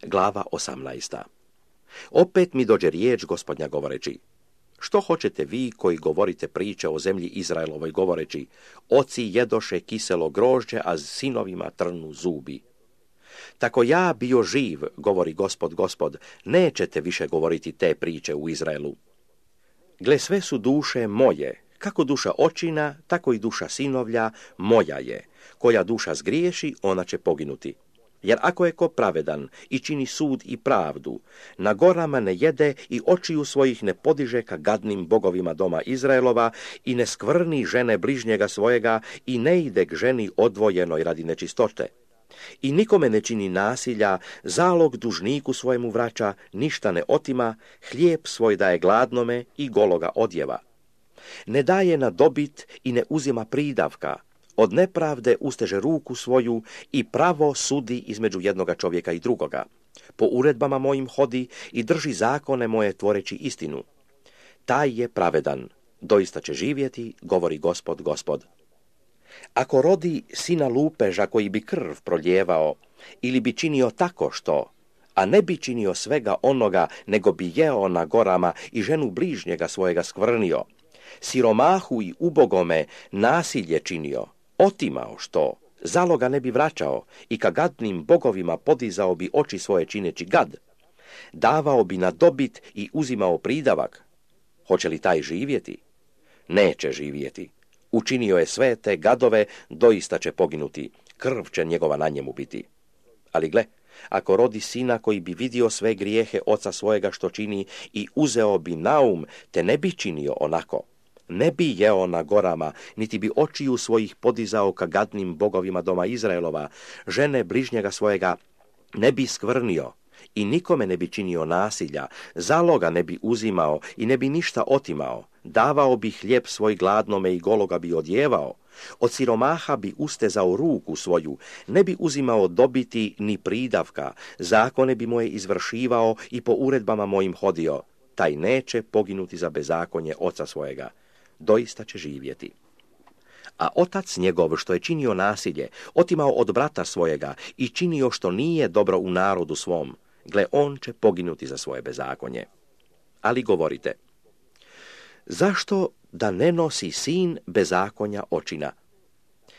Glava 18. Opet mi dođe riječ Gospodnja govoreći: što hoćete vi koji govorite priče o zemlji Izraelovoj govoreći: oci jedoše kiselo grožđe, a sinovima trnu zubi? Tako ja bio živ, govori Gospod, nećete više govoriti te priče u Izraelu. Gle, sve su duše moje, kako duša očina, tako i duša sinovlja moja je. Koja duša zgriješi, ona će poginuti. Jer ako je ko pravedan i čini sud i pravdu, na gorama ne jede i očiju svojih ne podiže ka gadnim bogovima doma Izraelova i ne skvrni žene bližnjega svojega i ne ide k ženi odvojenoj radi nečistote. I nikome ne čini nasilja, zalog dužniku svojemu vraća, ništa ne otima, hlijeb svoj daje gladnome i gologa odjeva. Ne daje na dobit i ne uzima pridavka, od nepravde usteže ruku svoju i pravo sudi između jednoga čovjeka i drugoga. Po uredbama mojim hodi i drži zakone moje tvoreći istinu. Taj je pravedan, doista će živjeti, govori Gospod. Ako rodi sina lupeža koji bi krv proljevao, ili bi činio tako što, a ne bi činio svega onoga, nego bi jeo na gorama i ženu bližnjega svojega skvrnio, siromahu i ubogome nasilje činio, otimao što, zaloga ne bi vraćao i ka gadnim bogovima podizao bi oči svoje čineći gad, davao bi na dobit i uzimao pridavak, hoće li taj živjeti? Neće živjeti. Učinio je sve te gadove, doista će poginuti, krv će njegova na njemu biti. Ali gle, ako rodi sina koji bi vidio sve grijehe oca svojega što čini i uzeo bi naum, te ne bi činio onako, ne bi jeo na gorama, niti bi očiju svojih podizao ka gadnim bogovima doma Izraelova, žene bližnjega svojega ne bi skvrnio i nikome ne bi činio nasilja, zaloga ne bi uzimao i ne bi ništa otimao, davao bi hljeb svoj gladnome i gologa bi odjevao, od siromaha bi ustezao ruku svoju, ne bi uzimao dobiti ni pridavka, zakone bi moje izvršivao i po uredbama mojim hodio, taj neće poginuti za bezakonje oca svojega, doista će živjeti. A otac njegov što je činio nasilje, otimao od brata svojega i činio što nije dobro u narodu svom, gle, on će poginuti za svoje bezakonje. Ali govorite: zašto da ne nosi sin bezakonja očina?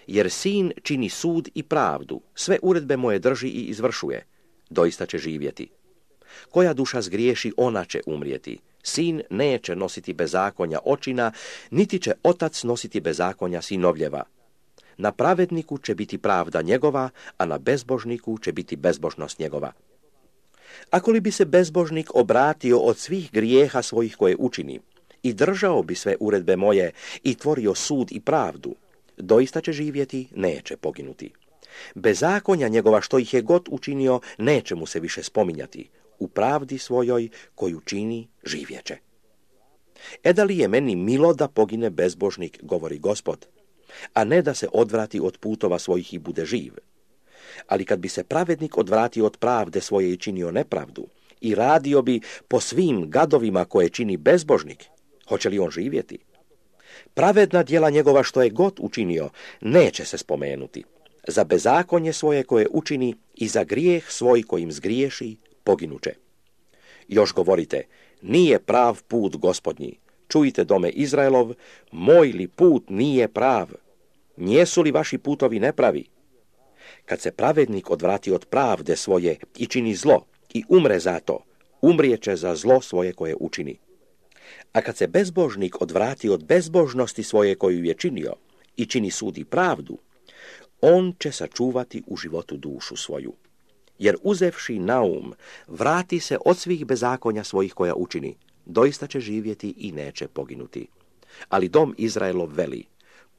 Jer sin čini sud i pravdu, sve uredbe moje drži i izvršuje, doista će živjeti. Koja duša zgriješi, ona će umrijeti. Sin neće nositi bezakonja očina, niti će otac nositi bezakonja sinovljeva. Na pravedniku će biti pravda njegova, a na bezbožniku će biti bezbožnost njegova. Ako li bi se bezbožnik obratio od svih grijeha svojih koje učini i držao bi sve uredbe moje i tvorio sud i pravdu, doista će živjeti, neće poginuti. Bezakonja njegova što ih je god učinio, neće mu se više spominjati. U pravdi svojoj koju čini, živjeće. Da li je meni milo da pogine bezbožnik, govori Gospod, a ne da se odvrati od putova svojih i bude živ. Ali kad bi se pravednik odvratio od pravde svoje i činio nepravdu i radio bi po svim gadovima koje čini bezbožnik, hoće li on živjeti? Pravedna djela njegova što je god učinio neće se spomenuti. Za bezakonje svoje koje učini i za grijeh svoj kojim zgriješi poginuće. Još govorite: nije prav put Gospodnji. Čujte, dome Izraelov, moj li put nije prav? Nijesu li vaši putovi nepravi? Kad se pravednik odvrati od pravde svoje i čini zlo i umre za to, umrijeće za zlo svoje koje učini. A kad se bezbožnik odvrati od bezbožnosti svoje koju je činio i čini sud i pravdu, on će sačuvati u životu dušu svoju. Jer uzevši naum, vrati se od svih bezakonja svojih koja učini, doista će živjeti i neće poginuti. Ali dom Izraelov veli: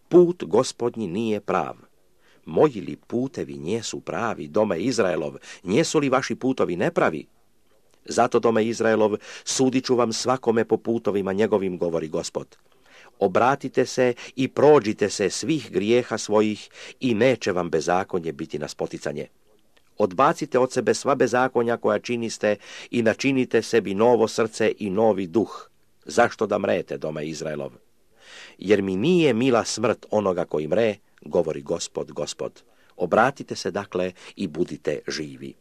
put Gospodnji nije prav. Moji li putevi njesu pravi, dome Izraelov, njesu li vaši putovi nepravi? Zato, dome Izraelov, sudit ću vam svakome po putovima njegovim, govori Gospod. Obratite se i prođite se svih grijeha svojih i neće vam bezakonje biti na spoticanje. Odbacite od sebe sva bezakonja koja činiste i načinite sebi novo srce i novi duh. Zašto da mrete, dome Izraelov? Jer mi nije mila smrt onoga koji mre, govori Gospod. Obratite se dakle i budite živi.